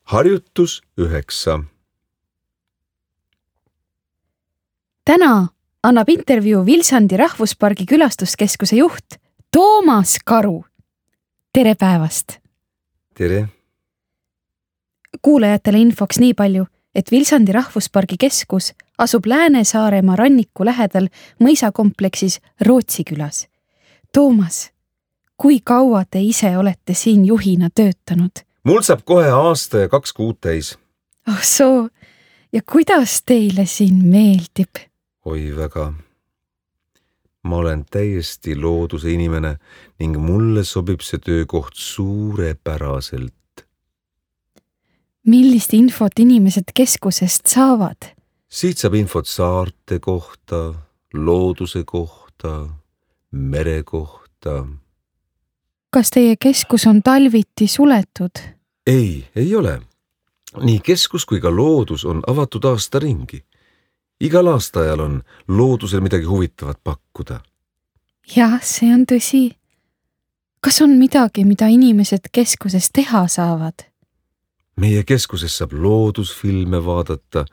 Harjutus 9. Täna annab intervjuu Vilsandi rahvuspargi külastuskeskuse juht Toomas Karu. Tere päevast! Tere! Kuulajatele infoks nii palju, et Vilsandi rahvuspargi keskus asub Lääne-Saaremaa ranniku lähedal mõisakompleksis Rootsi külas. Toomas, kui kaua te ise olete siin juhina töötanud? Mul saab kohe aasta ja 2 kuud täis. Oh soo, ja kuidas teile siin meeldib? Oi väga. Ma olen täiesti looduse inimene ning mulle sobib see töökoht suurepäraselt. Millist infot inimesed keskusest saavad? Siit saab infot saarte kohta, looduse kohta, mere kohta. Kas teie keskus on talviti suletud? Ei ole. Nii keskus kui ka loodus on avatud aasta ringi. Igal aastaajal on loodusel midagi huvitavat pakkuda. Jah, see on tõsi. Kas on midagi, mida inimesed keskuses teha saavad? Meie keskuses saab loodusfilme vaadata,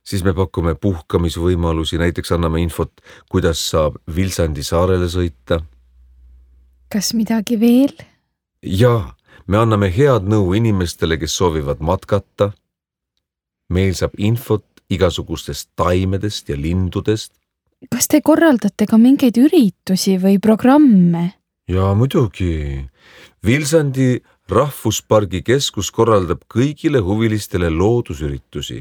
siis me pakume puhkamisvõimalusi, näiteks anname infot, kuidas saab Vilsandi saarele sõita. Kas midagi veel? Jaa, me anname head nõu inimestele, kes soovivad matkata. Meil saab infot igasugustest taimedest ja lindudest. Kas te korraldate ka mingeid üritusi või programme? Jaa, muidugi. Vilsandi rahvuspargi keskus korraldab kõigile huvilistele loodusüritusi.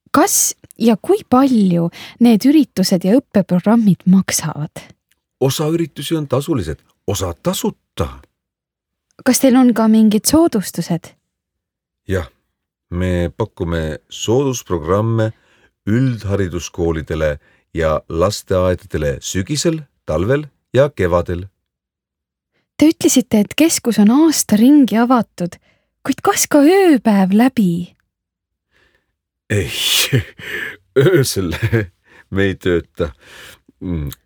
Kas ja kui palju need üritused ja õppeprogrammid maksavad? Osa üritusi on tasulised, osa tasuta. Kas teil on ka mingid soodustused? Jah, me pakume soodusprogramme üldhariduskoolidele ja lasteaedadele sügisel, talvel ja kevadel. Te ütlesite, et keskus on aasta ringi avatud, kuid kas ka ööpäev läbi? Ei, öösel me ei tööta.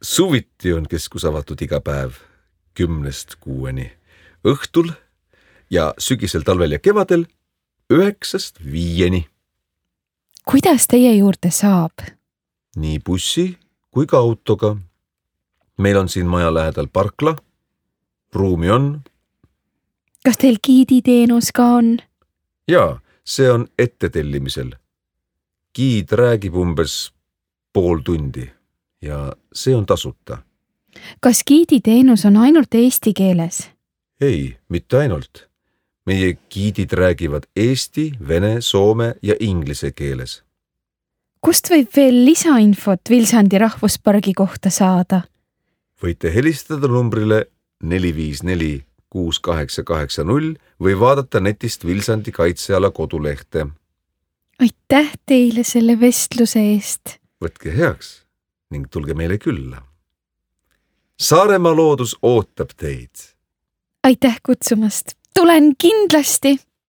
Suviti on keskus avatud iga päev 10–6. Õhtul ja sügisel, talvel ja kevadel 9–5. Kuidas teie juurde saab? Nii bussi kui ka autoga. Meil on siin maja lähedal parkla. Ruumi on. Kas teil giiditeenus ka on? Jaa, see on ettetellimisel. Giid räägib umbes pool tundi ja see on tasuta. Kas giiditeenus on ainult eesti keeles? Ei, mitte ainult. Meie giidid räägivad eesti, vene, soome ja inglise keeles. Kust võib veel lisainfot Vilsandi rahvuspargi kohta saada? Võite helistada numbrile 454 6880 või vaadata netist Vilsandi kaitseala kodulehte. Aitäh teile selle vestluse eest. Võtke heaks ning tulge meile külla. Saaremaa loodus ootab teid. Aitäh kutsumast. Tulen kindlasti.